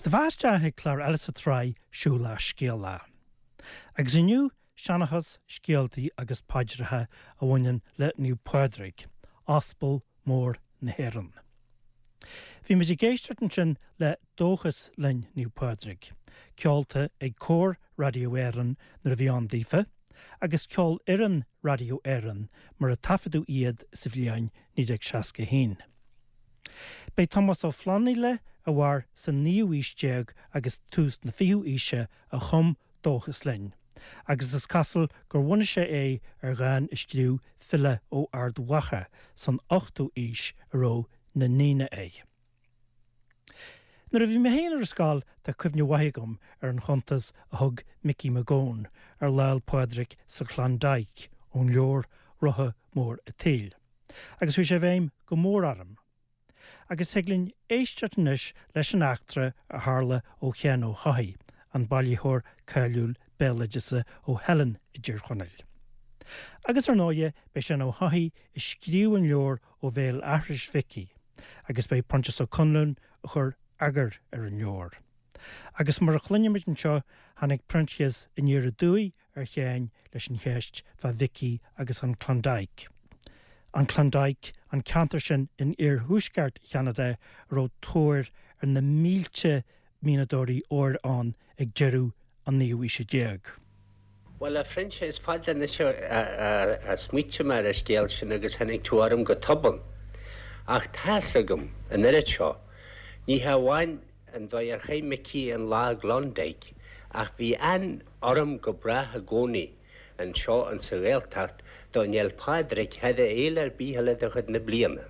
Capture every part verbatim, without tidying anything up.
Agus tá isteach ag clár eile sa tsraith Siúlach Scéalach. Agus inniu seanchas scéaltaí agus paidreacha a bhaineann le Naomh Pádraig, Aspal mór na hÉireann. Bhí muid ag éisteacht ansin le Dóchas Linn Naomh Pádraig, ceolta ag Cór Raidió Éireann nuair a bhí ann daofa, agus Ceolfhoireann Raidió Éireann mar a taifeadadh iad sa bhliain naoi déag seasca haon. B'é Tomás Ó Flannaile a mhair sa naoú haois déag agus tús na fichiú haoise a chum Dóchas Linn, agus is cosúil gur bhunaigh sé é ar dhán a scríobh file ó Ard Mhacha san ochtú haois a raibh na ndaoine é. Nuair a bhí mé féin ar scoil tá cuimhne mhaith agam ar an chuntas a thug Mickey McGowan ar Lá 'le Pádraig sa Klondike ón leabhar Rotha Mór an tSaoil. Agus chuaigh sé i bhfeidhm go mór orm. Agus thig linn éisteacht anois leis an eachtra a tharla ó Sheán Ó hEochaidh, an bailitheoir cáiliúil béaloideasa ó Theileann i dTír Chonaill. Agus ar ndóigh b'é Seán Ó hEochaidh a scríobh an leabhar ó bhéal aithris Mhicí, agus b'é Proinsias Ó Conluain a chuir eagar ar an leabhar. Agus mar a chluinfimid anseo tháinig Proinsias aniar aduaidh ar Sheán leis an cheist fá Mhicí agus an Klondike. An Klondike an ceantar sin in iarthuaisceart Cheanada a raibh tóir ar na mílte mianadóirí óir ann ag deireadh an naoú haoise déag. Bhuel a Phroinsias is fada anois a smaointigh mé ar an scéal sin agus tháinig tú orm go tobann. Ach tá's agam an oiread seo, ní hamháin an dóigh ar chaith Micí an lá i gClondike, ach bhí an-urraim go brách i gcónaí anseo in sa Ghaeltacht don Fhéil Pádraig thar fhéile ar bith eile de chuid na bliana.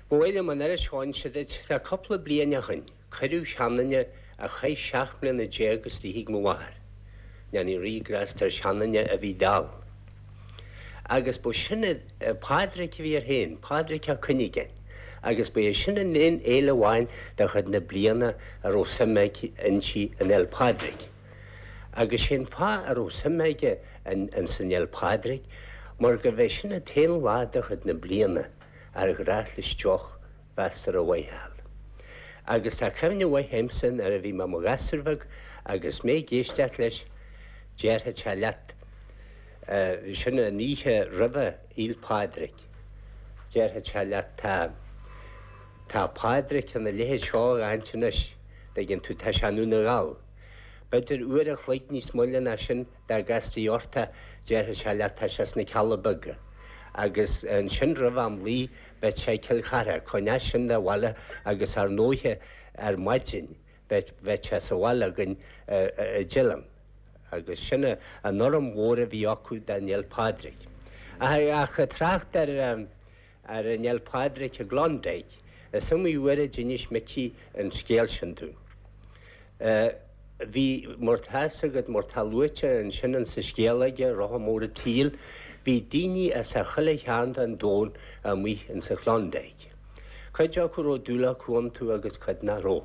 Ba mhaith liom an oiread seo a inse duit, tá cúpla bliain ó shin, cuireadh seanduine a chaith seacht mbliana déag istigh ag mo mháthair. Ndéana Rí grásta ar sheanduine a bhí dall. Agus ba sin Pádraig a bhí air féin, Pádraig Ó Cuinneagáin, agus ba é sin an aon fhéile amháin de chuid na bliana a raibh suim aige inti an Fhéil Pádraig. Agus sin fáth a raibh suim aige in san Fhéil Pádraig, mar go bhé sin an t-aon lá de chuid na bliana ar ghnách leis deoch mheasartha mhaith a fháil. Agus tá cuimhne mhaith agamsa nuair a bhí mé mo ghasúr bheag agus mé ag éisteacht leis déarfadh sé leat sin an oíche roimhe Fhéil Pádraig. Déarfadh sé leat tá tá Pádraig ina leithéid seo a'aint anois, tuigeann tú tá sé i nDún na nGall. B'fhéidir uair a chloig níos moille ná sin dá gcastaí ort é déarfadh sé leat tá sé sna Cealla Beaga. Agus ansin roimh am luí bheadh sé Cill Chartha, chun sin de bhaile agus ar ndóighe ar maidin bheadh sé sa bhaile againn i dTeileann. Agus sin an urraim mhór a bhí acu don Fhéil Pádraig. Ach trácht ar ar an Fhéil Pádraig i gClondike, is iomaí uair a d'inis Micí an scéal sin dúinn. Bhí mar tá's agat mar tá luaite ansin in sa scéal aige Rotha Mór an tSaoil, bhí daoine as a chuile chearn den domhan amuigh in sa Chlondike. Cuid acu raibh dúil acu iontu agus cuid nach raibh.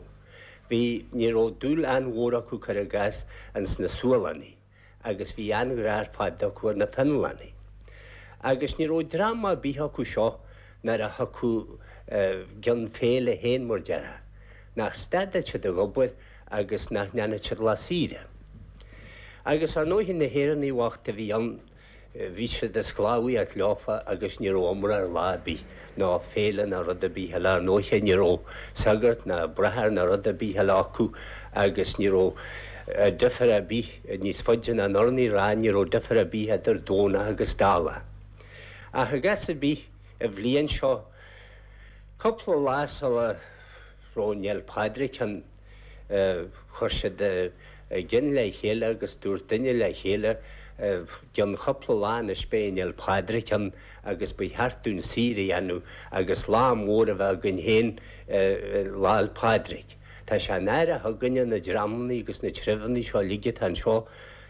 Bhí ní raibh dúil an-mhór acu cuir i gcás ins na Sualannaigh, agus bhí an-ghrá ar fad acu ar na Fionlannaigh. Agus ní raibh dream ar bith acu seo nuair a thiocfadh gcionn féile féin mar déarfá, nach stadfadh siad ag obair agus nach ndéanfadh siad lá saoire. Agus ar ndóigh na hÉireannaigh bhochta a bhí ann, bhí siad ag sclábhaíocht leofa agus ní raibh iomrá ar lá ar bith ná féile ná rud ar bith eile ar ndóigh ní raibh sagart ná bráthair ná rud ar bith eile acu agus ní raibh difear ar bith níos faide ná an urnaí rá ní raibh difear ar bith idir Domhnach agus Dála. Ach i gcás ar bith an bhliain seo cúpla lá sula raibh an Fhéil Pádraig ann chuir siad a gcinn le chéile agus dúirt duine le chéile gcionn cúpla lá anois beidh an Fhéil Pádraig ann agus ba cheart dúinn saoire a dhéanamh agus lá mór a bheith againn féin Lá 'le Pádraig. Tá sé náireach againne na dreamanna agus na treibheanna seo uilig atá anseo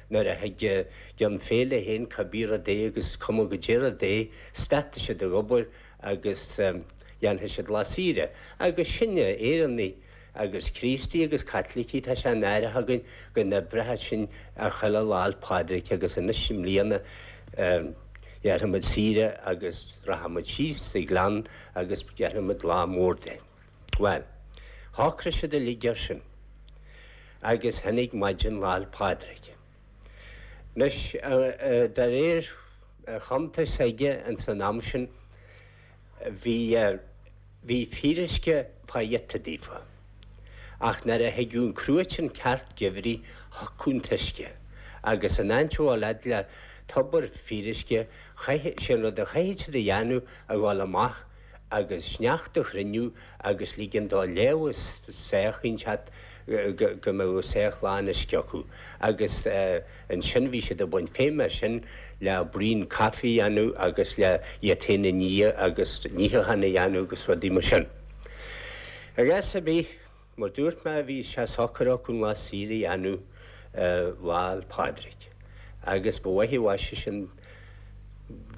nuair a thig gcionn féile féin cibé rud é agus cuma goidé rud é, stadfaidh siad ag obair agus dhéanfaidh siad lá saoire. Agus sinne Éireannaigh agus Críostaí agus Caitlicigh tá sé náireach againn go n-oibreoidh sinn a chuile Lá 'le Pádraig agus anois i mbliana déarfaidh muid saoire agus rachaidh muid síos sa ghleann agus déarfaidh muid lá mór de. Well, Shocraigh siad uilig air sin agus tháinig maidin Lá 'le Pádraig. Anois, de réir chuntais aige ins an am sin, bhí bhí fíoruisce fá ghiota daofa. Ach nuair a thigeadh an cruatan ceart geimhridh thiocfadh an t-uisce agus in áit a dhul fhad le tobar fíoruisce, chaith, sé an rud a chaithfeadh siad a dhéanamh a dhul amach agus sneachta a chruinniú agus ligean dó léamh sách inteacht go mbeadh sách lán uisce acu agus ansin bhí siad ag baint feidhm as sin le braon caife a dhéanamh agus le iad féin a ní agus níochán a dhéanamh agus rudaí mar sin. I gcás ar bith, mar dúirt mé, bhí sé socair acu an lá saoire a dhéanamh Lá 'le Pádraig agus ba mhaith an mhaise sin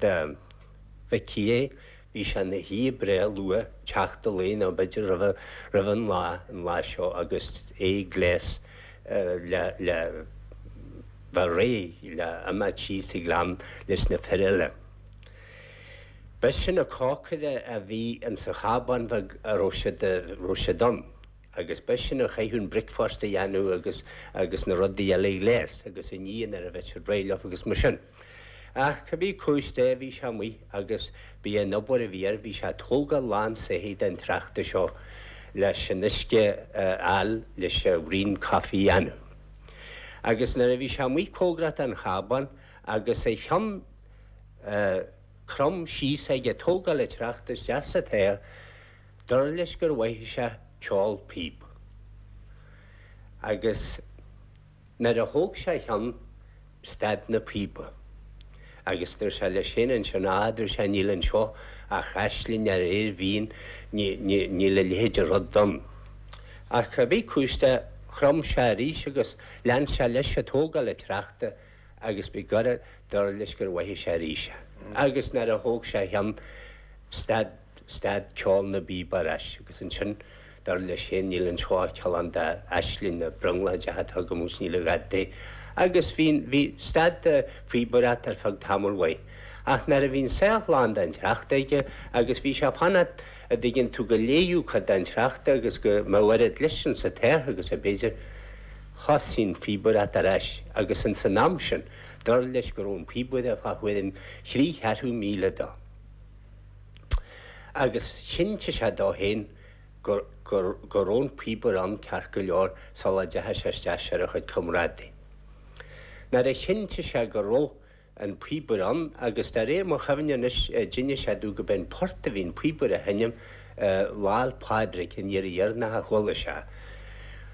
do Mhicí é. Bhí sé ina shuí breá luath, teacht an lae nó b'fhéidir roimh, roimh an lá, an lá seo agus é ag gléas le, le bheith réidh le imeacht síos an gleann leis na fir eile. B'eisean an cócaire a bhí insa chábán bheag a raibh siad, raibh siad ann. Agus b'eisean a chaithfeadh an bricfeasta a dhéanamh agus agus na rudaí eile a ghléas agus a ní nuair a bheadh siad réidh leo agus mar sin. Ach cibé cúis de bhí sé amuigh agus b'í an obair a bhí air, bhí sé ag tógáil lán soithigh den tsneachta seo leis an uisce a fháil leis an bhraon caife a dhéanamh. Agus nuair a bhí sé amuigh cóngarach don chábán agus a cheann crom síos aige ag tógáil an tsneachta isteach sa toigh, Dar leis gur mhothaigh sé ceol píob. Agus nuair a thóg sé a cheann, stad na píoba. Agus dúirt sé leis féin ansin, Á, dúirt sé, níl anseo ach aisling ar aer mhín, níl a leithéid de rud ann. Ach cibé cúis de, chrom sé arís agus lean sé leis ag tógáil an tsneachta agus b'ghiorra dar leis gur mhothaigh sé arís é. Agus nuair a thóg sé a cheann, stad. Stad ceol na bpíob ar ais agus ansin, dar leis féin, níl anseo ach cineál d'aisling nó brionglóid atá agam agus níl a dhath de. Agus bhí, bhí, stad an phíobaireacht ar feadh tamaill mhaith. Ach nuair a bhí an soitheach lán den tsneachta aige agus bhí sé ag fanacht, a' dtuigeann tú, go léifeadh cuid den tsneachta agus go mbeadh oiread leis insa toigh agus a b'fhéidir, thosaigh an phíobaireacht ar ais agus ins an am sin, dar leis go raibh an píobaire fá thuairim thrí cheathrú míle dó. Agus chinntigh sé dó féin go go raibh an píobaire ann ceart go leor sula dteachaigh sé isteach ar a chuid comrádaí. Nuair a chinntigh sé go raibh an píobaire ann, agus de réir mo chuimhne anois d'inis sé domh go b'é an port a bhí an píobaire a sheinm Lá 'le Pádraig an iarraidh dheireanach a chuala sé.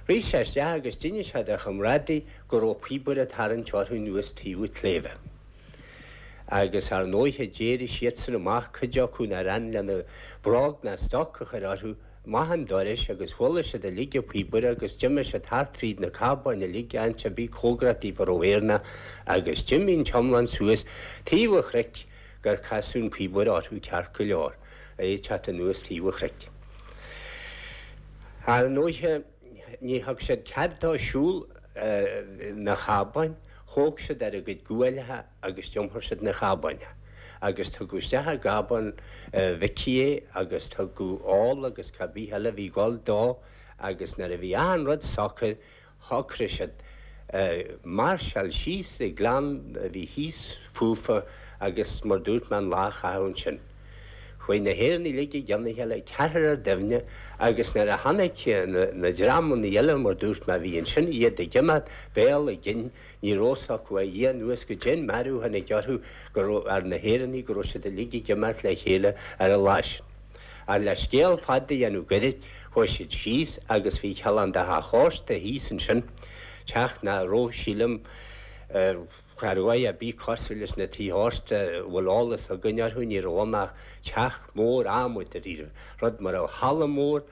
Rith sé isteach agus d'inis sé dá chomrádaí go raibh píobaire ag tarraingt orthu anuas taobh an tsléibhe. Agus ar ndóighe d'éirigh siadsan amach, cuid acu nár fhan lena bróg ná stoc a chur orthu, amach an doras agus chuala siad uilig an píobaire agus d'imigh siad thart fríd na cábáin uilig, áit ar bith cóngarach daofa a raibh Éireannach agus d'imigh an t-iomlán suas taobh an chnoic gur casadh an píobaire orthu ceart go leor, é ag teacht anuas taobh an chnoic. Ar ndóighe ní thug siad cead dó siúl na chábáin. Thóg siad ar a gcuid guailleacha agus d'iompair siad na cábáin é. Agus tugadh isteach i gcábán Mhicí é agus tugadh ól agus cá bith eile a bhí ag dul dó agus nuair a bhí achan rud socair shocraigh siad máirseáil síos an gleann a bhí thíos fúfa agus mar dúirt mé an lá a chaitheamh ansin. Chuaigh na hÉireannaigh uilig i gcionn a chéile, ceathrar ar duine, agus nuair a chonaic na dreamanna eile, mar dúirt mé, a bhí ansin, iad ag imeacht, béal a gcinn, ní raibh fhios acu ó Dhia anuas goidé an mearú a tháinig orthu, go raibh, ar na hÉireannaigh, go raibh siad uilig ag imeacht le chéile ar an lá sin. Ach le scéal fada a dhéanamh goirid, chuaigh siad síos agus bhí cineál de theach ósta thíos ansin, teach nach raibh, sílim, Cha raibh a dhath ar bith cosúil leis na tithe ósta a bhfuil eolas againn orthu, ní raibh ann ach teach mór adhmaid dáiríre, rud mar halla mór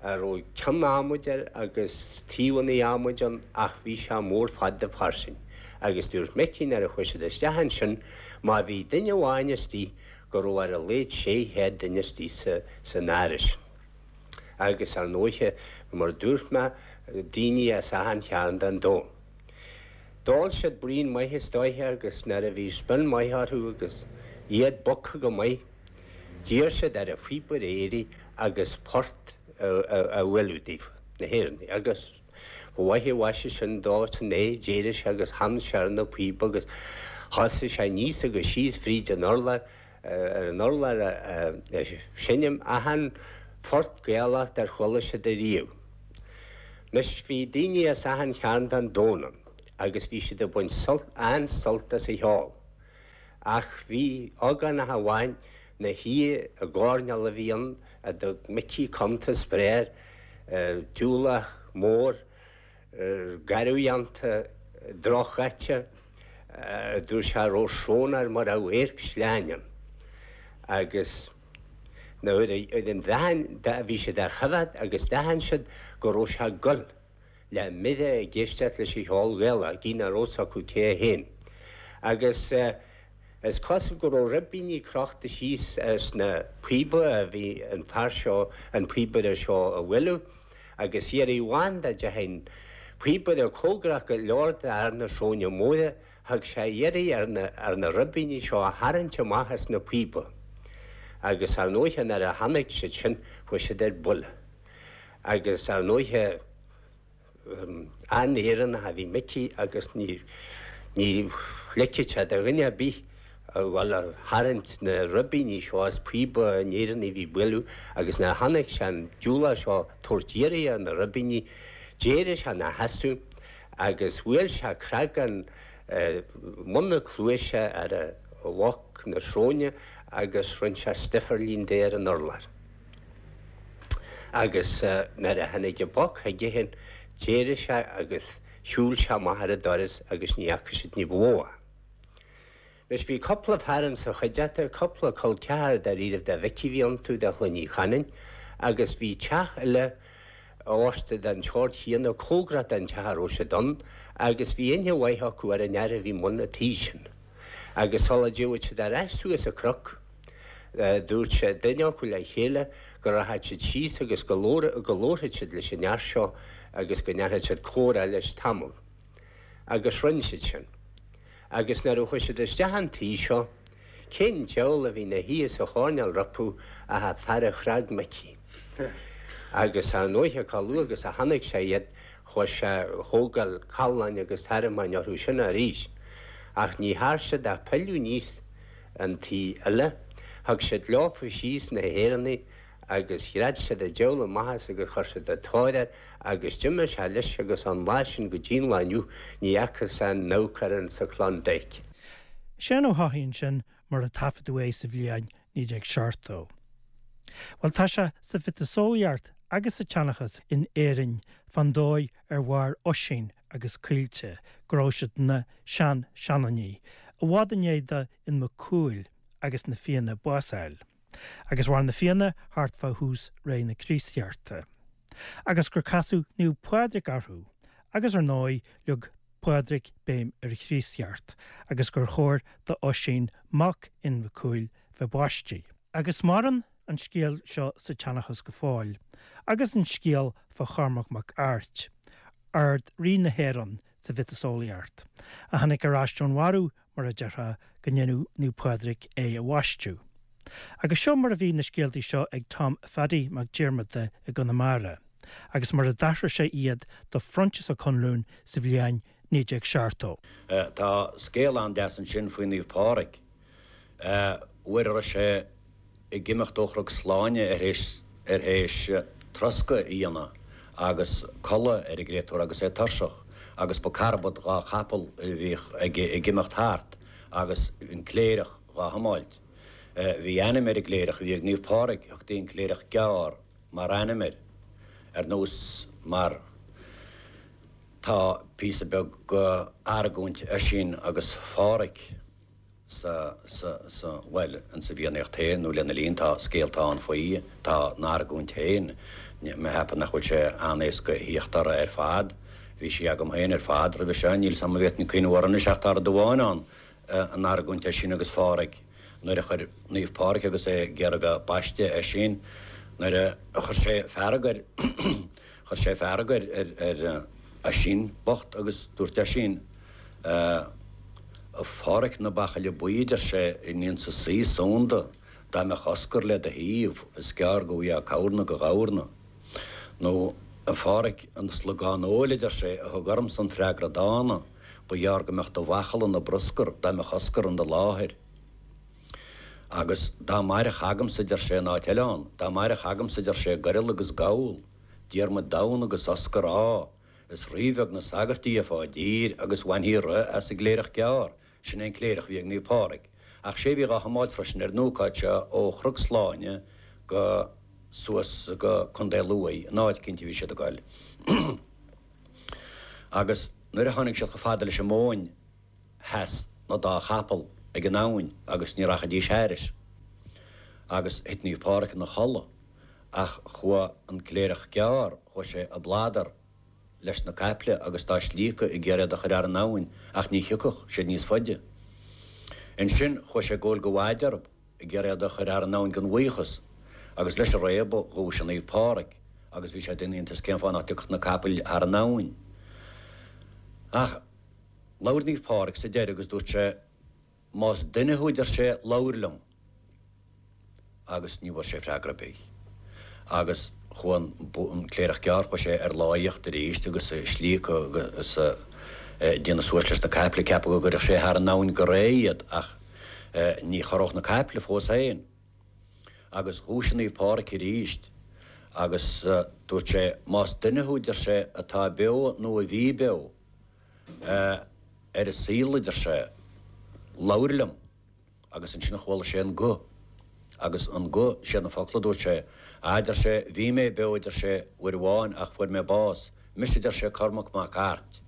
a raibh ceann adhmaid air agus taobhanna adhmaid ann ach bhí sé mór fada fairsing. Agus dúirt Micí nuair a chuaigh siad isteach ansin má bhí duine amháin istigh go raibh ar a laghad sé chéad duine istigh san áras. Agus ar ndóiche, mar a dúirt mé, daoine as achan chearn den domhan. D'ól siad braon maith is dóiche agus nuair a bhí spion maith orthu agus iad bogtha go maith, d'iarr siad ar an phíobaire éirí agus port a bhualadh daofa, na hÉireannaigh, agus ba mhaith an mhaise sin dó san é, d'éirigh sé agus chan sé ar na píoba agus thosaigh sé aníos agus síos fríd an urlár, ar an urlár ag seinm achan phort Gaelach dar chuala siad ariamh. Anois bhí daoine as achan chearn den domhan ann agus bhí siad ag baint sult, an-sult as an cheol. Ach bhí ógánach amháin 'na shuí i gcoirnéal a bhí ann a dtug Micí cuntas breá air, diúlach mór, garbhdhéanta, drochdhaite, a dúirt sé a raibh srón air mar a bheadh adharc sleáin ann. Agus nuair a bhí siad á choimhéad agus d'aithin siad go raibh sé ag gol le mire ag éisteacht leis an cheol Gaelach, gidh nach raibh 'fhios acu cé é féin. Agus is cosúil go raibh ribíní crochta síos sna píoba a bhí an fear seo, an píobaire seo a bhualadh, agus iarraidh amháin dá dteachaigh an píobaire cóngarach go leor d'fhear na sróine móire, thug sé iarraidh ar na, ar na ribíní seo a tharraingt amach as na píoba. Agus ar ndóighe nuair a chonaic siad sin, chuaigh siad ar buile. Agus ar ndóighe, an-Éireannach a bhí Micí agus ní ní ligfeadh sé do dhuine ar bith a dhul a tharraingt na ribíní seo as píoba an Éireannaigh a bhí ag bualadh agus nuair a chonaic sé an diúlach seo ag tabhairt iarraidh ar na ribíní, d'éirigh sé ina sheasamh agus bhuail sé creagán mbun na cluaise ar a bhoc na sróine agus rinne sé stifirlín de ar an urlár. Agus nuair a tháinig an boc chuige féin, d'éirigh sé agus shiúil sé amach ar an doras agus ní fhaca siad ní ba mhó é. Anois bhí cúpla fear insa chuideachta, cúpla col ceathar dáiríribh de Mhicí a bhí iontu, de Chloinn Uí Chanainn, agus bhí teach eile ósta den tsórt chéanna cóngarach don teach a raibh siad ann, agus bhí aithne mhaith acu ar an fhear a bhí i mbun an tí sin. Agus sula dtiocfadh siad ar ais suas an cnoc, dúirt sé duine acu le chéile go rachadh siad síos agus go labharfadh siad leis an fhear seo agus go ndéanfadh siad comhrá leis tamall. Agus rinne siad sin. Agus nuair a chuaigh siad isteach an tí seo, cén diabhal a bhí 'na shuí sa choirnéal rompu ach an fear a chreag Micí. Agus ar ndóighe, chomh luath agus a chonaic sé iad, chuaigh sé a thógáil calláin agus tormáin orthu sin arís. Ach ní thearn siad ach pilleadh aníos an tí eile. Thug siad leofa síos na hÉireannaigh agus ghread siad an diabhal amach as agus chuir siad an tóir air agus d'imigh sé leis agus ón lá sin go dtí an lá inniu ní fhacthas aon amharc air insa Klondike. Seán Ó hEochaidh ansin mar a taifeadadh é sa bhliain naoi déag seachtó. Bhuel tá sé sa mhiotaseolaíocht agus sa tseanchas in Éirinn fán dóigh ar mhair Oisín agus Caoilte, go raibh siad ina sean-seanfhionnaí, i bhfad i ndiaidh do Fhionn Mac Cumhaill agus na Fianna bás a fháil. Agus mhair na Fianna thart fá thús ré na Críostaíochta. Agus gur casadh Naomh Pádraig orthu, agus ar ndóigh leag Pádraig béim ar an Chríostaíocht, agus gur chóir do Oisín, mac Fhinn Mhic Cumhaill, bheith baistí. Agus maireann an scéal seo sa tseanchas go fóill, agus an scéal fá Chormac Mac Airt, Ard Rí na hÉireann sa mhiotaseolaíocht, a tháinig ar ais ón mharbh, mar a déarfá, go ndéanadh Naomh Pádraig é a bhaisteadh. Agus seo mar a bhí na scéaltaí seo ag Tom Pheaidí Mac Diarmada i gConamara, agus mar a d'aithris sé iad do Phroinsias Ó Conluain sa bhliain naoi déag seachtó. Tá scéal an-deas ansin faoi Naomh Pádraig. Uair a raibh sé ag imeacht ó Chnoc Sláine ar théis ar théis troscadh a dhéanamh agus codladh ar an gcréatúr agus é tuirseach agus ba carbad dhá chapall a bhíodh aige ag imeacht thart agus an cléireach dhá thiomáilt. Bhí ainm ar an gcléireach a bhí ag Naomh Pádraig, thugtaí an Cléireach Gearr mar ainm air, ar nós mar tá píosa beag go argóint Oisín agus Phádhraic sa, sa, sa, bhuel, insa bhFiannaíocht féin nó lena linn tá scéalta ann faoi, tá an argóint féin, mé cheapadh nach bhfuil sé an-éasca a thíocht orthu ar fad, bhí sí agam féin ar fad roimhe seo, níl 's a'm an bhféadfainn cuimhneamh orthu anois ach tá rud amháin ann, an argóint Oisín agus Phádhraic, nuair a chuir Naomh Pádraig agus é ag iarraidh bheith baiste Oisín, nuair a chuir sé fearg air, chuir sé fearg ar, ar, ar Oisín bocht agus dúirt Oisín, A Phádhraic na bachaille buí, a deir sé, an insa saoi soghonda, dá mbeadh Oscar le do thaobh, is gearr go bhfaighfeá cabhair na go ghabharna. Nó, a Pháraic, an slagán óil, a deir sé, a thug ormsa an freagra dána, ba ghearr go mbeadh do bhachall ina bruscar dá mbeadh Oscar in do láthair. Agus dá mairfeadh agamsa, a deir sé, in áit eile ann, dá mairfeadh agamsa, a deir sé, goirle agus gabhal, Diarmuid Donn agus Oscar Ádha, is ríbheag na sagairt a gheofá i dtír agus bhainfí rith as an gCléireach Gearr, sin é an cléireach a bhí ag Naomh Pádraig, ach sé a bhí dhá thiomáilt freisin ar an ócáid seo ó Chnoc Sláine go suas go Contae Lú, in áit eicínt a bhí siad ag goil. Agus nuair a tháinig siad chomh fada leis an Bhóinn sheas na dá chapall ag an abhainn agus ní rachaidís thairis. Agus thit Naomh Pádraig ina chodladh. Ach chuaigh an Cléireach Gearr, chuaigh sé ag bladar leis na caiple agus dá slíocadh ag iarraidh iad a chur thar an abhainn ach ní thiocfadh siad níos faide. Ansin chuaigh sé ag gabháil go mhaide orthu ag iarraidh iad a chur thar an abhainn gan bhuíochas agus leis an réabadh dhúisigh Naomh Pádraig agus bhí sé ag déanamh iontais cén fáth nach dtiocfadh na capaill thar an abhainn. Ach labhair Naomh Pádraig sa deireadh agus dúirt sé, Más duine thú, a deir sé, labhair liom. Agus ní bhfuair sé freagra ar bith. Agus chuaigh an Cléireach Gearr, chuaigh sé ar láíocht arís agus ag slíocadh agus ag déanamh suas leis na caiple, ag ceapadh go gcuirfeadh sé thar an abhainn go réidh iad, ach ní chorródh na caiple fós féin. Agus dhúisigh Naomh Pádraig arís agus dúirt sé, Más duine thú, a deir sé, atá beo nó a bhí beo ar an saol, a deir sé, labhair liom. Agus ansin chuala sé an guth. Agus an guth, siad na focla a dúirt sé, A, deir sé, bhí mé beo, a deir sé, uair amháin ach fuair mé bás. Mise, a deir sé, Cormac Mac Airt.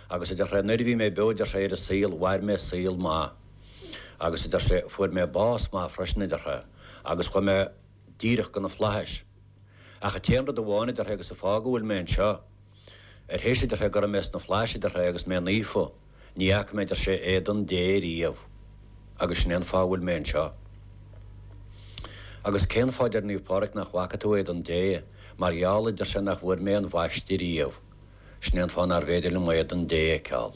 Agus, a deir sé, nuair a bhí mé beo, a deir sé, ar an saol, mhair mé saol maith. Agus, a deir sé, fuair mé bás maith freisin, a deir sé, agus chuaigh mé díreach go na flaithis. Ach an t-aon rud amháin, a deir sé, agus an fáth go bhfuil mé anseo, Ar théis, a deir sé, go raibh mé sna flaithis, a deir sé, agus mé naofa, ní fhaca mé, a deir sé, éadan Dé riamh. Agus sin é an fáth a bhfuil mé anseo. Agus cén fáth, a deir Naomh Pádraig, nach bhfaca tú éadan Dé? Mar gheall, a deir sé, nach bhfuair mé an bhaisteadh riamh. Sin é an fáth nárbh fhéidir liom éadan Dé a fheiceáil.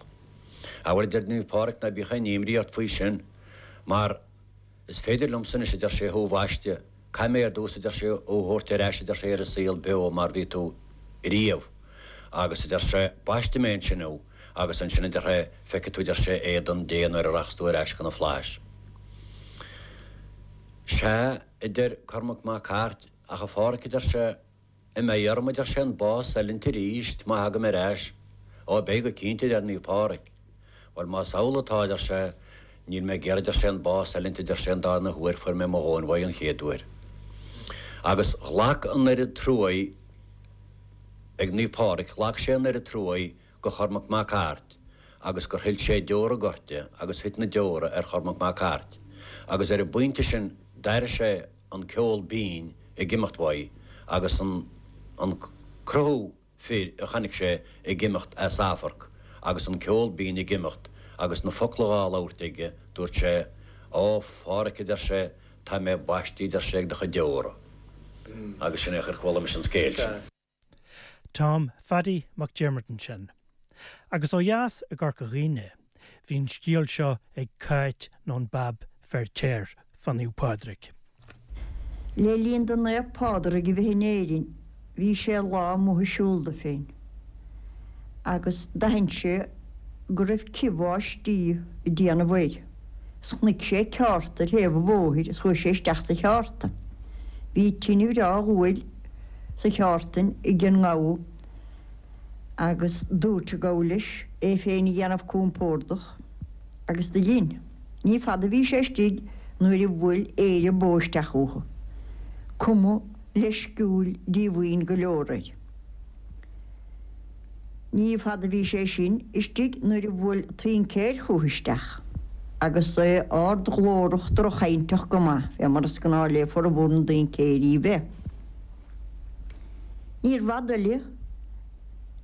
Á bhuel, a deir Naomh Pádraig, ná bíodh aon imní ort faoi sin, mar Is féidir liomsa anois, a deir sé, thú a bhaisteadh. Caithfidh mé ar dtús, a deir sé, thú a thabhairt ar ais, a deir sé, ar an saol beo mar bhí tú riamh. Agus, a deir sé, baistfidh mé ansin thú, agus ansin, a deir sé, feicfidh tú, a deir sé, éadan Dé nuair a rachas tú ar ais go na flaithis. Sea, a deir Cormac Mac Airt, ach a Pháraic, a deir sé, An mbeidh orm, a deir sé, an bás a fhulaingt arís má thagaim ar ais? Ó, beidh go cinnte, a deir Naomh Pádraig. Bhuel, más amhlaidh atá, a deir sé, níl mé ag iarraidh, a deir sé, an bás a fhulaingt, a deir sé, an darna huair, fuair mé mo dhóthain uaidh an chéad uair. Agus ghlac an oiread truaí ag Naomh Pádraig, ghlac sé an oiread truaí go Chormac Mac Airt agus gur shil sé deora goirte agus thit na deora ar Chormac Mac Airt agus ar an bpointe sin d'airigh sé an ceol binn ag imeacht uaidh agus an an cruthú fir a chonaic sé ag imeacht as amharc agus an ceol binn ag imeacht agus na focla dhá labhairt aige, dúirt sé, Ó, a Pháraic, a deir sé, tá mé baistí, a deir sé, ag do chuid deora. Agus sin é ar chuala mise an scéal sin. Tom Phaddy Mac Diarmada ansin. Agus ó dheas i gCorca Dhuibhne, bhí an scéal seo ag Cáit nó an Bab Feirtéar fá Naomh Pádraig. Le linn do Naomh Pádraig a bheith in Éirinn bhí sé lá amuigh ag siúl dó féin agus d'aithin sé go raibh cith bháistí ag déanamh air is chonaic sé ceárta ar thaobh an bhóthair is chuaigh sé isteach sa cheárta. Bhí tine bhreá ghuail sa cheártain ag an ngabha agus dúirt an gabha leis é féin a dhéanamh compordach agus do dhein. Ní fada a bhí sé istigh nuair a bhuail aoire bó isteach chucu, cuma leisciúil díomhaoin go leor air. Ní fada a bhí sé sin istigh nuair a bhuail tincéir chucu isteach agus é ardghlórach drochchainteach go maith, fé mar is gnáth le formhór na dtincéirí bheith. Níorbh fhada eile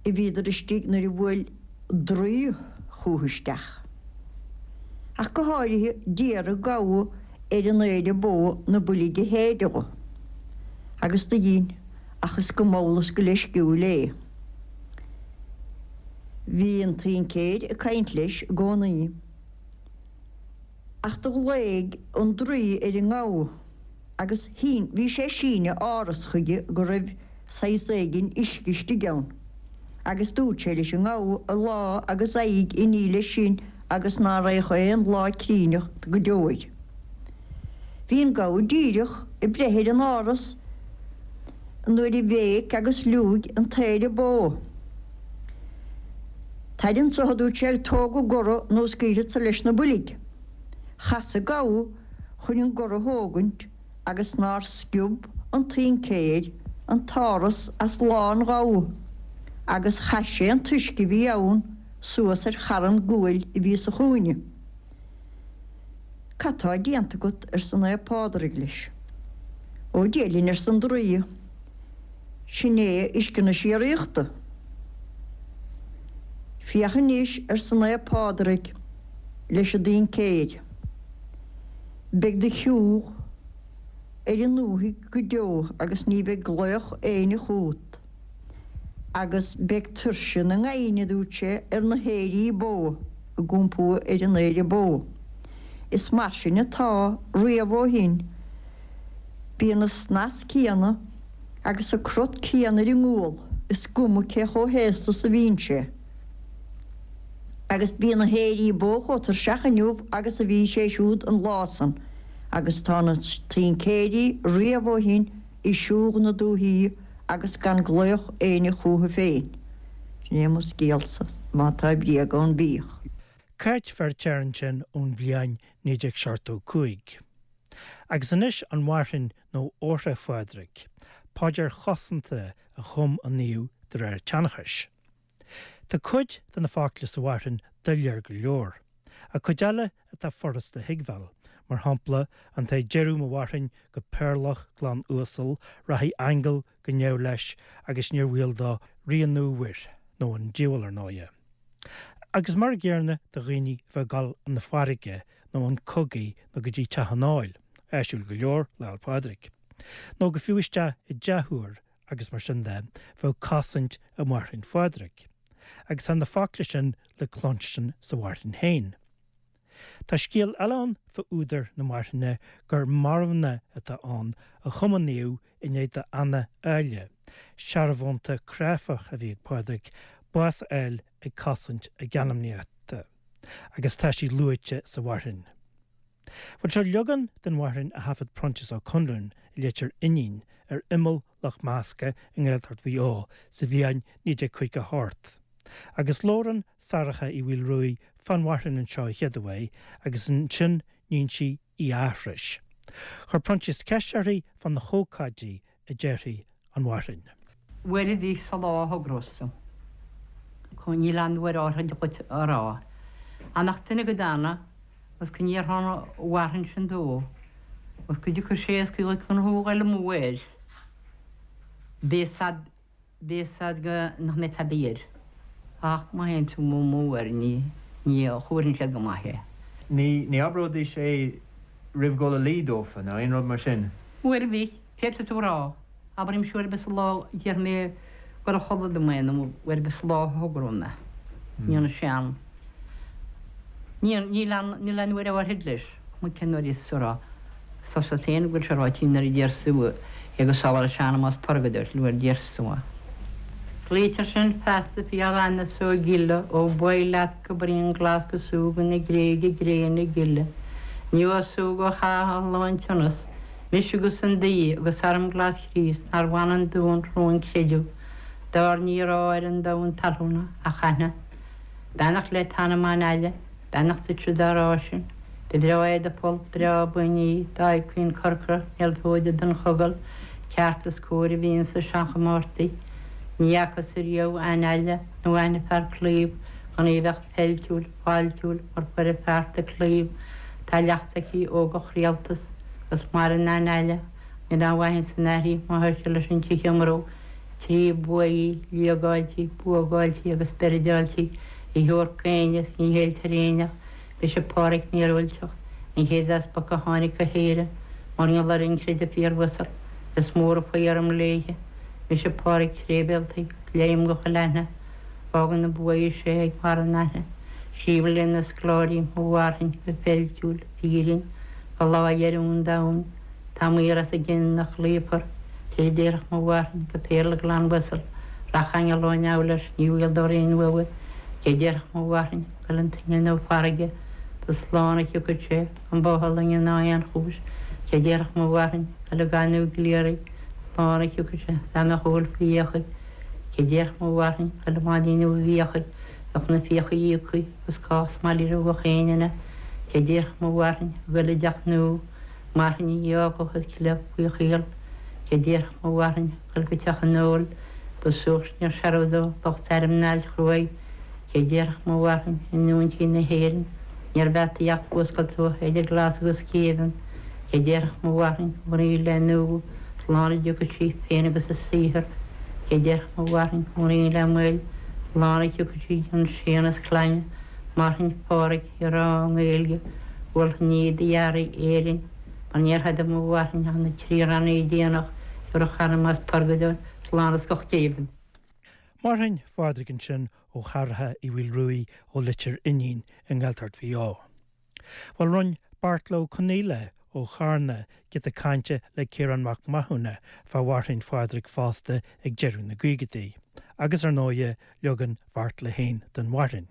a bhíodar istigh nuair a bhuail draoi chucu isteach. Ach go háirithe d'iarr an gabha ar an aoire bó na boilg a shéideadh dho. Agus do dhein, ach is go mall is go leisciúil é. Bhí an tincéir ag caint leis i gcónaí. Ach do ghlaoigh an draoi ar an ngabha agus shín, bhí sé ag síneadh áras chuige go raibh saghas éigin uisce istigh ann. Agus dúirt sé leis an ngabha a lá agus a aghaidh a ní leis sin agus ná raghadh aon lá críneach go deo air. Bhí an gabha díreach ag breith ar an áras nuair a bhéic agus liúigh an t-aoire bó. Tar anso, a dúirt sé, tóg an gora nó scaoilfeadsa leis na boilg. Chas an gabha chun an gora thógaint agus nár sciob an tincéir an t-áras as lámh an ghabha agus chaith sé an t-uisce a bhí ann suas ar charn guail a bhí sa chúinne. Cad tá déanta agat arsa Naomh Pádraig leis. Ó Dia linn arsa an draoi, sin é uisce na síoraíochta. Féach anois arsa Naomh Pádraig leis an dtincéir. Beidh do shiúch ar an ndúthaigh go deo agus ní bheidh glaoch éinne chugat. Agus beidh tuirse na ngamhain, a dúirt sé, ar na haoirí bó ag iompú ar an aoire bó. Is mar sin atá riamh ó shin. Bíonn an snas céanna agus an crot céanna ar an ngual, is cuma cé chomh haosta is a bhíonn sé. Agus bíonn na haoirí bó chomh tuirseach inniu agus a bhí sé siúd an lá san, agus tá na tincéirí riamh ó shin i siúch na dúthaí agus gan glaoch éinne chucu féin. Sin é mo scéalsa, má tá bréag ann bíodh. Cáit Feirtéar ansin ón bhliain naoi déag seachtó cúig. Agus anois an Mharthainn nó Ortha Phádraig, paidir chosanta a chum an naomh de réir an tseanchais. Tá cuid de na focla sa mharthainn doiléir go leor, ach cuid eile atá furasta a thuigbheáil, mar shampla an té deireadh mo mharthainn go péarlach glan uasal, rachaidh aingeal go neamh leis agus níor bhaol dó rianú mhuir, nó an diabhal ar ndóighe. Agus mar an gcéanna do dhaoine a bheith ag dul chun na farraige nó chun cogaidh nó go dtí teach an óil, áisiúil go leor Lá 'le Pádraig. Nó go fiú isteach i dteach úr agus mar sin de, bheadh cosaint i Marthainn Phádraig. Agus tá na focla sin le cluinstin sa mharthainn féin. Tá scéal eile ann fá údar na marthainne gur marbhna atá ann a chum an naomh i ndiaidh d'Anna Áille, searbhónta cráifeach a bhí ag Pádraig, bás a fháil ag cosaint a geanmnaíochta, agus tá sí luaite sa mharthainn. Bhuel seo leagan den mharthainn a thaifead Proinsias Ó Conluain i Leitir Fhionnáin ar imeall Loch Measca i nGaeltacht Mhaigh Eo sa bhliain naoi déag caoga a hocht. Agus labhrann Sorcha Uí Mhaolruaidh fán mharthainn anseo a chéaduair agus ansin níonn sí í a aithris. Chuir Proinsias ceist uirthi fá na hócáidí a deirtí an mharthainn. Uair a bhí sa lá a thogrós tú. Níl aon uair áirithe dhuit a rá. Ach nach duine go dana agus go ndéarfá an mharthainn sin dó agus go dtiocfadh sé is go chun thú a ghoil amú air. Beidh sad beidh sad go nach mbeidh tada air. Ach má théann tú amú air ní ní chuireann sé go maith é. Ní ní abróidís é roimh dhul a luí dófa nó aon rud mar sin. Uair a bhí, féadfaidh tú a rá. Abraimse uair ar bith sa lá déarfaidh mé gur a chodladh dom é nó uair ar bith sa lá a thogróidh mé. Ní an sean. Níl aon níl aon uair áirithe leis, cuma cén uair is tú a rá. Sosa féin go bhfuil sé ráite nuair a déarfas tú é go sábhála sean más purgadóir nuair a déarfas tú é. Glaoitear sinn feasta fial ainnis ó gile ó b'fhuath leat go bruíon glas go súgh na Gréige gréine gile. Ní súgh ó chath an lán tionnas, mise agus an daoi agus arm glas Chríost nár bhain an dúin rún creideamh dár ní raibh ar an domhan talúna ach aithne. Beannacht le t'anam a Aille, beannacht duitse dá rá sin. Ba bhreá é do pholl breá buinní, d'aghaidh caoin corcra, néaltóide don chogal, ceart is cóir a bhíonn sa seanchomórtaí. Ní fhacas ariamh aithne aille nó aithne fear claímh gan í bheith feiltiúil, fáiltiúil mar chuireadh fearta claímh. Tá leacht aici ó gach rialtas agus maireann aithne aille, níl aon mhaith ins an aithrí má chuirtear leis an tithe iomró trí buaidh, liagáiltí, buagáiltí agus beirideáiltí a thabhairt d'éinne is ní fhéiltear éinne. Mise Páraic Míorúilteach, an chéad easpag a tháinig go hÉirinn mar gheall ar an chreideamh fíoruasal, is mór a faoi orm léithe. Mise Páraic Trébhéaltaigh, léim go chuile aithne, fágann na buaidh sé ag barr an aithne. Scríobh le na scoláirí mo mharthainn go feiltiúil, fírin, go lá dheireadh an domhain, tá maor as a gcionn nach luífear, Cé déarfadh mo mharthain go péarla glan uasal, Raghadh aingeal ó neamh leis, ní bhaol dó aon uabhar. Cé déarfadh mo mharthain goil an tine nó farraige, Ba slán a thiocfadh sé gan báthadh loinge ná aon chúis. Cé déarfadh mo mharthain goil ag gaineamh gliaraigh, Slán a thiocfadh sé dá mbeadh úll faoi fhiachaibh. Cé déarfadh mo mharthain goil i mbáidín ubh i bhfiachaibh, Bheadh na fiacha íoctha agus cás maille roimh éinne ina. Cé déarfadh mo mharthain goil i dteach nua, Marthain a fhágfadh a cleith faoi chaol. Cé déarfadh mo mharthain goil go teach an óil, Ba suairc níor searbh dó lucht airm an Ailt Chruaidh. Cé déarfadh mo mharthain i ndúinsí na hÉireann, Níorbh fheataí ach fuascailt uathu idir glas agus géibheann. Cé déarfadh mo mharthain mnaoi le nú, Slán a dtiocfadh sí féin agus a saothar. Cé déarfadh mo mharthain mnaoi le moill, Slán a thiocfadh sí chun séan is clainne. Marthain Phádraig á rá i nGaeilge, mholfainn í d'fhearaibh Éirinn, Mar níor thada mo mharthain ach na trí rannaí déanach, Thiúrfadh anam as purgadóir slán is go géibheann. Marthain Phádraig ansin ó Sharaithe Uí Mhaolruaidh ó Leitir Fhínín i nGaeltacht Mhaigh Eo. Bhuel rinne Beairtle Ó Conaola ó Charna giota cainte le Ciarán Mac Mathúna fá Mharthain Phádraig fosta ag deireadh na gcaogaidí, agus ar ndóigh leagan Bheairtle féin den Mharthain.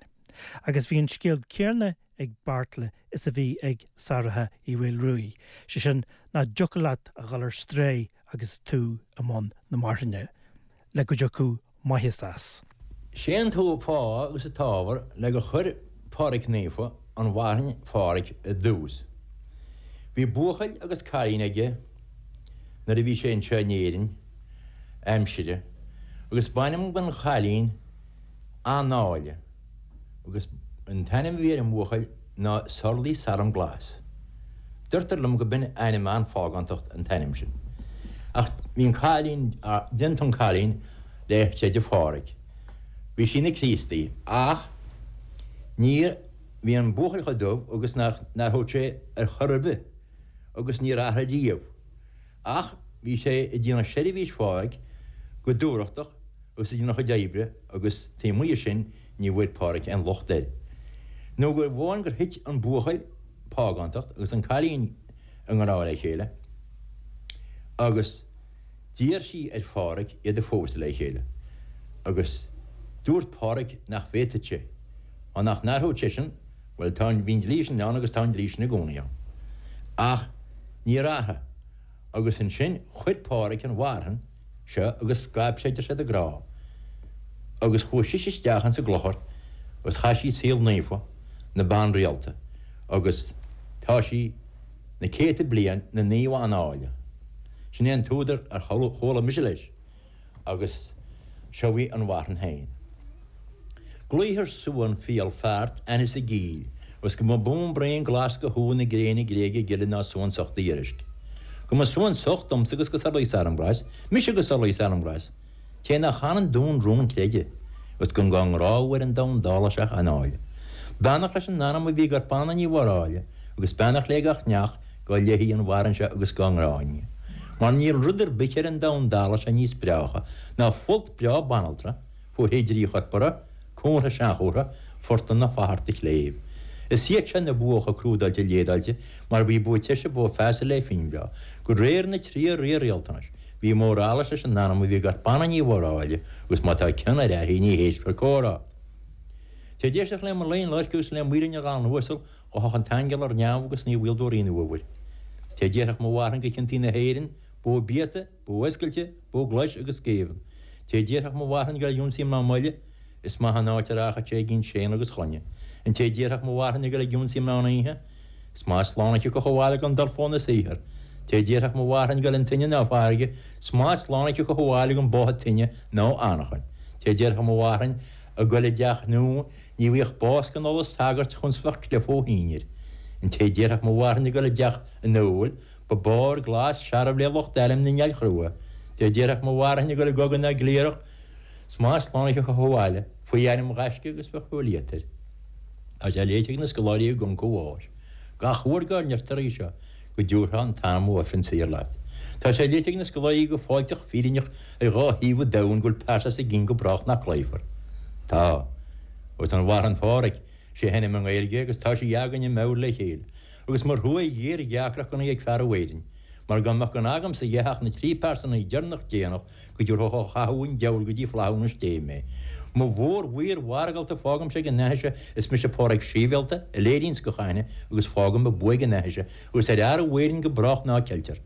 Agus bhí an scéal céanna ag Beairtle is a bhí ag Saraithe Uí Mhaolruaidh, sé sin nach dtiocfadh leat a dhul ar strae agus tú i mbun na marthaine, le go dtiocfadh maitheas as. Sé an fáth agus an t-ábhar le gur chuir Pádraig Naofa an Mharthain Phádraig i dtús. Bhí buachaill agus cailín aige nuair a bhí sé anseo in Éirinn aimsire, agus b'ainm don chailín Anáile, agus an t-ainm a bhí ar an mbuachaill ná Sorlaí Saram Glas. Deirtear liom go b'in ainm an-phágántacht an t-ainm sin. Ach bhí an cailín déanta an cailín le creideamh Phádraig. Bhí sí ina Críostaí ach níor bhí an buachaill chomh dubh agus nach nár thóg sé ar chor ar bith agus níor athraigh riamh. Ach bhí sé ag déanamh seirbhís Phádraig go dúthrachtach agus ag déanamh a chuid oibre agus taobh amuigh de sin ní bhfuair Pádraig aon locht air. Nó gur amháin gur thit an buachaill págántacht agus an cailín i ngrá le chéile, agus d'iarr sí ar Phádraig iad a phósadh le chéile, agus dúirt Pádraig nach bhféadfadh sé, á nach n-athródh seisean, bhuel tá an bhí an dlí sin ann agus tá an dlí sin i gcónaí ann. Ach níor athraigh, agus ansin chuir Pádraig an mharthain seo agus scaip sé idir siad a grá, agus chuaigh sise isteach insa gclochar agus chaith sí saol naofa na ban rialta, agus tá sí na céadta bliain ina Naomh Anáile. Sin é an t-údar ar chuala mise leis, agus seo í an mharthain féin. Glaothar suan fial feart ainnis i gCill, agus go mba bún braon glas go shú na gréine gréige gile ná suan socht d'iarraisc. Go mba suan socht domsa agus go Sorlaí Saramglas, mise go Sorlaí Saramglas, Té nach chanann dún rún creide, agus gan gan ngrá ar an domhan dála seach anáile. Beannacht leis an anam a bhí gur Anna Ní Mhóráile, agus beannacht le gach neach go léi an mharthain seo agus go ngráinne. Mar níl rud ar bith ar an domhan dála seo níos breátha ná folt breá banaltra, fuair drí chorpara, cúnra seanchúrtha, fortan na fatharta chléibh. Is iad sin na buacha crúdáilte léadáilte mar bhí bua teise bó feasa le finbhreá, go réir na trí rialtanais, bhí mórála leis an anam a bhí gur Anna Ní Mhóráile agus má tá cion ar airthí ní héistfear comhrá. Té déisteach le mar léon leircús le muirinne gan uasal ó thach an t-aingeal ar neamh agus ní bhfuil dóirín uabhair. Té déarfadh mo mharthain go ciontaí na hÉireann, bó biata, bó oscailte, bó glais agus géibheann. Té déarfadh mo mharthain go ionsaí ná moille, is maith an áit a rachadh sé ag séan agus chlainne. An té déarfadh mo mharthain go ionsaí ná oíche, is maith slána go chomháile gan dul fóna saothar. Té déarfadh mo mharthain go an tine ná farraige, is maith slána go chomháile gan bótha tine nó anachain. Té déarfadh mo mharthain a go le deach nó ní bhíodh bás gan ola sagairt chun sfeach clifó híir. An té déarfadh mo mharthain go le deach an nóil, ba bár glas searbh le lucht eile na nealchrua. Té déarfadh mo mharthain go le gogan na glírach, Smás sláinte go chomháile, faoi ainm gaisce agus fe chuilíatar. Tá sé léite na scoláirí i gConco bháis. Gach uair go nirtar í seo go dtiúrtha an t-anam ó ifreann saor leat. Tá sé léite na scoláirí go fáilteach fírinneach ar dhá thaobh an domhain go bhfuil pearsa sa gcinn go brách nach cloífear. Tá, agus an mharthain Phádraig, sé henna i nGaeilge agus tá sí againn i meabhair le chéile, agus mar thua ghéar gheacrach gona ag fear Éirinn, Mar dá mbeadh gan agamsa a dhath ach na trí pearsana deireanach déanach go dtabharfadh ó chathú an diabhail go dtí flaithiúnas Dé mé. Mo mhór-mhaor mhargálta fágaimse ag an aithise is mise Páraic Síbhialta a léiríonns gach aithne agus fágaim a bua ag an aithise agus ar fhear a mhaorainn go brách ná ceiltear.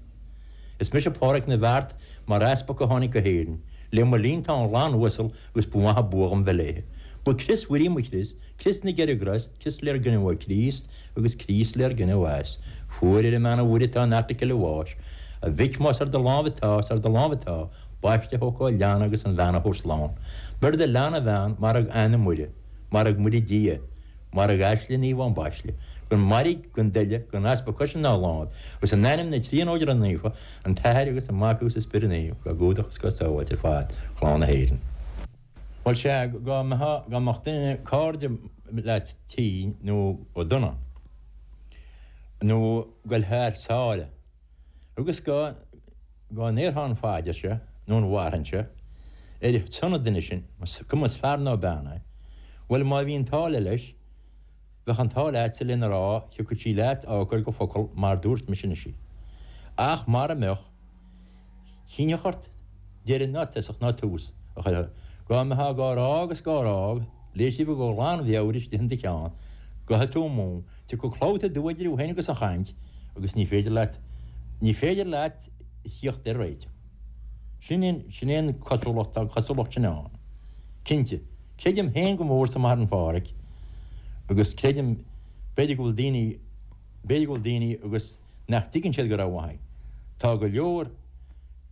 Is mise Páraic na bhFeart mar easpag a tháinig go hÉirinn. Le mo linn tá an lann uasal agus ba mhaith an bua dhom bheith léithe. Ba Crios Mhuire mo chrios, Crios na gCeithre gCros, Crios lér geineadh Críost agus Críost lér geineadh as. Fuair ar an mbean a Mhuire atá in airticle a bháis. A mhic más ar do láimh atá, is ar do láimh atá, baiste a thógáil leanna agus an bhean a thabhairt slán. Beir do leanna a bhean, mairg Anna Muire, mairg Muire Dia, mairg aisle Naomh Ambaisle, gan mairg, gan duille, gan easpa coise ná láimh, agus in ainm na Tríonóide Naofa, an tAthair agus an Mac agus an Spiorad Naomh, gá gcumhdach is gá sábháilt ar fad chlann na hÉireann. Bhuel sea, dá mbeadh, dá mbeadh duine, cairde leat tinn nó dona, nó goil thar sáile, agus dá, dá ndéarfá an phaidir seo, nó an mharthain seo, ar son an duine sin, cuma is fear nó bean é, bhuel má bhí an t-ádh leis, bheadh an t-ádh leatsa lena rá, thiocfadh sí leat á cur go focal mar dúirt mise anois í. Ach mara mbeadh, shínfeadh ort deireadh ná tosach ná tús a chur air. Dá mbeifeá dhá rá agus dhá rá, léigh sibh go glanmheabhair istigh in do cheann, gabhfaidh tú amú, tiocfaidh clabhta dubh idir thú féin agus an chaint agus ní féidir leat, ní féidir leat a thíocht ar réiteach. Sin é, sin é an cosúlacht, tá an chosúlacht sin ann. Cinnte, creidim féin go mór sa Mharthain Pháraic agus creidim, b'fhéidir go bhfuil daoine, b'fhéidir go bhfuil daoine agus nach dtuigeann siad go rómhaith é. Tá go leor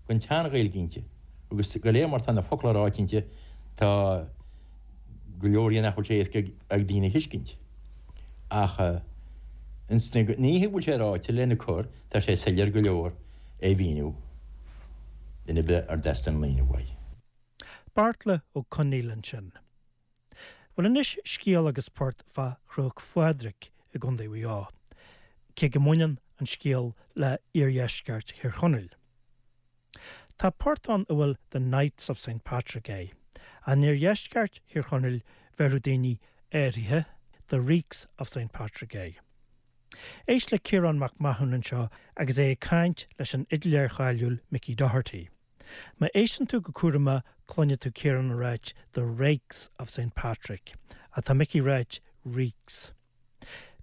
den tSean-Ghaeilge inti agus go léir mar tá na focla ráite inti, tá go leor dhe nach bhfuil sé éasca ag daoine a thuiscint. Ach ins na nithe a bhfuil sé ráite lena cur, tá sé soiléir go leor é a mhíniú duine ar bith ar dteastaíonn míniú uaidh. Beartla Ó Conaola ansin. Bhuel anois scéal agus port fá Chnoc Phádraig i gContae Mhaigh Eo, cé go mbaineann an scéal le iardheisceart Thír Chonaill. Tá port ann a bhfuil The Knights of Saint Patrick air. In iardheisceart Thír Chonaill bheireadh daoine áirithe The Reeks of Saint Patrick air. Éist le Ciarán Mac Mathúna anseo agus é ag caint leis an fhidléir cháiliúil Mickey Doherty. Má éisteann tú go cúramach cluinfidh tú Ciarán ag ráit The Rakes of Saint Patrick, ach tá Mickey ag ráit Reeks.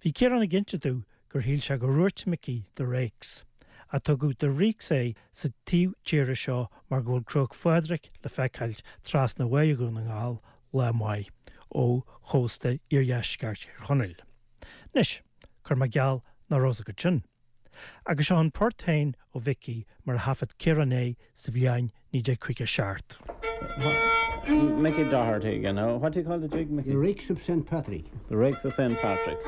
Bhí Ciarán ag inse domh gur shíl sé gur dhúirt Mickey The Rakes, ach tugadh The Reeks air sa taobh tíre seo mar go bhfuil Cnoc Phádraig le feiceáilt trasna Bhaile Dhún na nGall lá maith ó chósta iardheisceart Thír Chonaill. Anois, cuir mé geall nach raibh fhios agat sin. Agus seo an port féin ó Mhickey mar a thaifead Ciarán é sa bhliain naoi déag caoga seacht. Mickey Doherty again. Now, what do you call the jig, Mickey? The Rakes of Saint Patrick. The Rakes of Saint Patrick.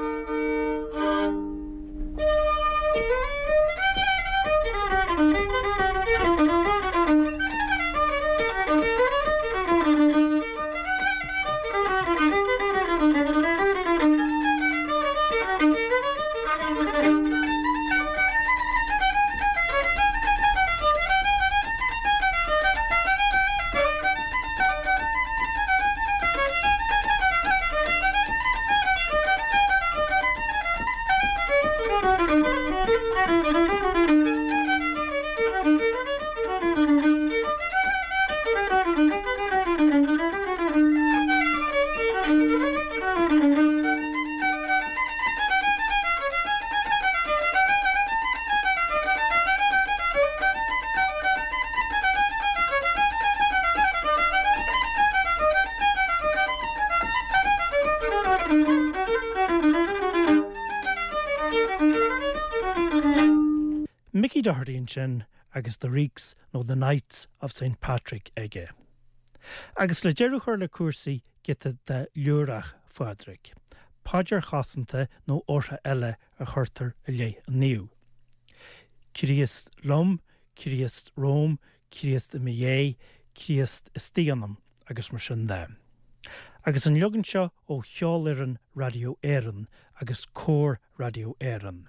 Mickey Doherty ansin agus The Reeks nó The Knights of Saint Patrick aige. Agus le deireadh a chur le cúrsaí giota de Fhliúrach Phádraig, paidir chosanta nó ortha eile a chuirtear i leith an naoimh. Críost liom, Críost romham, Críost i mo dhéidh, Críost istigh ionam agus mar sin de. Agus an leagan seo ó Cheolfhoireann Raidió Éireann agus Cór Raidió Éireann,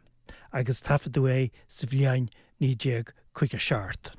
agus taifeadadh é sa bhliain naoi déag caoga seacht.